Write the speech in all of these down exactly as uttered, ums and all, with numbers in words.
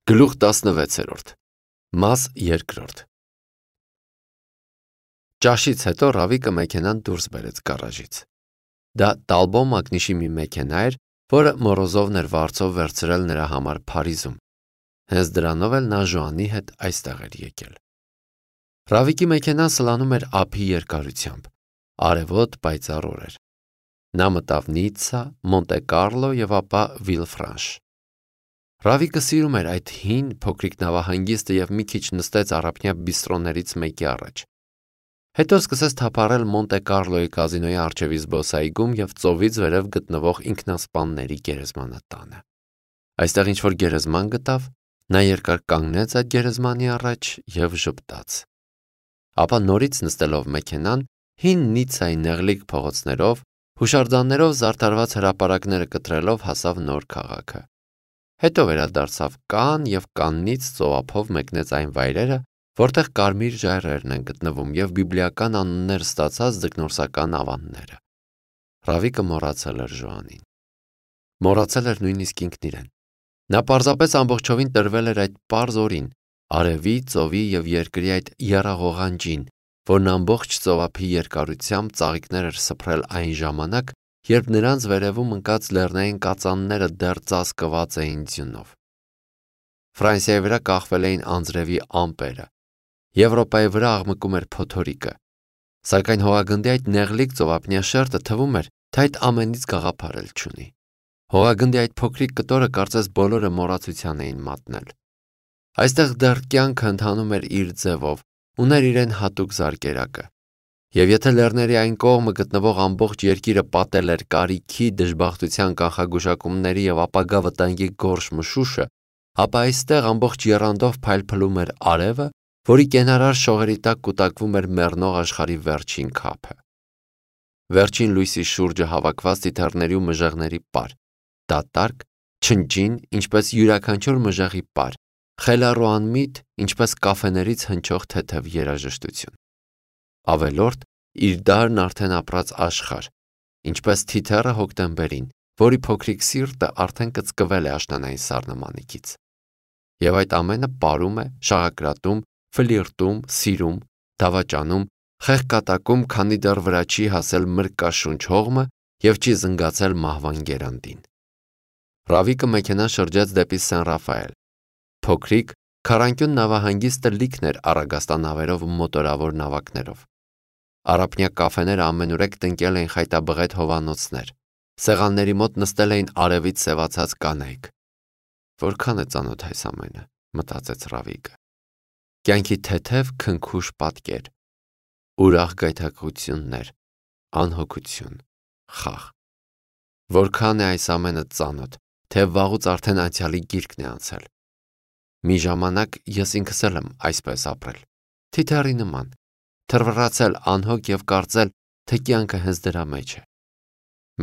Գլուխ տասնվեցերորդ Մաս երկրորդ Ճաշից հետո Ռավիկը մեքենան դուրս բերեց գարաժից։ Դա Տալբո Մակնիշի մի մեքենա էր, որը Մորոզովն էր վարձով վերցրել նրա համար Փարիզում։ Հենց դրանով էլ նա Ժոանի հետ այստեղ էր եկել։ Ռավիկի մեքենան սլանում էր ափի երկարությամբ։ Արևոտ պայծառ օր էր։ Նա մտավ Նիցցա, Մոնտե Կարլո եւ ապա Վիլֆրանշ։ Ռավիկը սիրում էր այդ հին փոքրիկ նավահանգիստը եւ մի քիչ նստեց առափնյա բիստրոներից մեկի առաջ։ Հետո սկսեց թափառել Մոնտե Կարլոյի կազինոյի առջևի զբոսայգում եւ ծովից վերև գտնվող ինքնասպանների գերեզմանատանը։ Այստեղ ինչ-որ գերեզման գտավ, նա երկար կանգնեց այդ գերեզմանի առաջ եւ ժպտաց։ Ապա նորից նստելով մեքենան, հին Նիցցայի նեղլիկ փողոցներով, հուշարձաններով զարդարված հրապարակները կտրելով հասավ նոր քաղաքը։ Հետո վերադարձավ Կանն եւ Կաննից ծովափով մեկնեց այն վայրերը, որտեղ կարմիր ժայռերն են գտնվում եւ բիբլիական անուններ ստացած ձկնորսական ավանները։ Ռավիկը մոռացել էր Ժոանին։ Մոռացել էր նույնիսկ ինքն իրեն։ Նա պարզապես ամբողջովին տրվել էր այդ պարզ օրին, արևի, ծովի եւ երկրի այդ եռաղողանջին, որն ամբողջ ծովափի երկարությամբ ծաղիկներ էր սփռել այն ժամանակ, երբ նրանց վերևում ընկած լեռնային կածանները դեռ ծածկված էին ձյունով։ Ֆրանսիայի վրա կախվել էին անձրևի ամպերը, Եվրոպայի վրա աղմկում էր փոթորիկը, սակայն հողագնդի այդ նեղլիկ ծովափնյա շերտը թվում էր, թե այդ ամենից գաղափարել չունի։ Հողագնդի այդ փոքրիկ կտորը կարծես բոլորը մոռացության էին մատնել։ Այստեղ դեռ կյանքը ընթանում էր իր ձևով, ուներ իրեն հատուկ զարկերակը։ Եվ եթե լեռների այն կողմը գտնվող ամբողջ երկիրը պատել էր կարիքի, դժբախտության կանխագուշակումների եւ ապագա վտանգի գորշ մշուշը, ապա այստեղ ամբողջ եռանդով փայլփլում էր արևը, որի կենարար շողերի տակ կուտակվում էր մեռնող աշխարհի վերջին քափը։ Վերջին լույսի շուրջը հավաքված թիթեռների ու մժեղների պար, դատարկ, չնջին, ինչպես յուրաքանչյուր մժեղի պար, խելառու անմիտ, ինչպես կաֆեներից հնչող թեթև երաժշտություն։ Ավելորդ իր դարն արդեն ապրած աշխարհ, ինչպես թիթեռը հոկտեմբերին, որի փոքրիկ սիրտը արդեն կծկվել է աշնանային սառնամանիքից։ Եվ այդ ամենը ապարում է, շաղակրատում, ֆլիրտում, սիրում, դավաճանում, խեղկատակում, քանի դեռ վրա չի հասել մրկաշունչ հողմը եւ չի զնգացել մահվան գերանդին։ Ռավիկը մեքենան շրջեց դեպի Սեն-Ռաֆայել։ Փոքրիկ, քառանկյուն նավահանգիստը լիքն էր առագաստանավերով ու մոտորավոր նավակներով։ Առափնյա կաֆեները ամենուրեք տնկել էին խայտաբղետ հովանոցներ։ Սեղանների մոտ նստել էին արևից սևացած կանայք։ Որքան է ծանոթ այս ամենը, մտածեց Ռավիկը։ Կյանքի թեթև քնքուշ պատկեր, ուրախ գայթակղություններ, անհոգություն, խաղ։ Որքան է այս ամենը ծանոթ, թե վաղուց արդեն անցյալի գիրկն է անցել։ Մի ժամանակ ես ինքս էլ եմ այսպես ապրել, թիթեռի նման, թռվռացել անհոգ եւ կարծել, թե կյանքը հենց դրա մեջ է։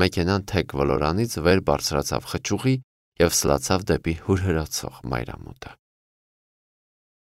Մեքենան թեք ոլորանից վեր բարձրացավ խճուղի եւ սլացավ դեպի հուրհրացող մայրամուտը։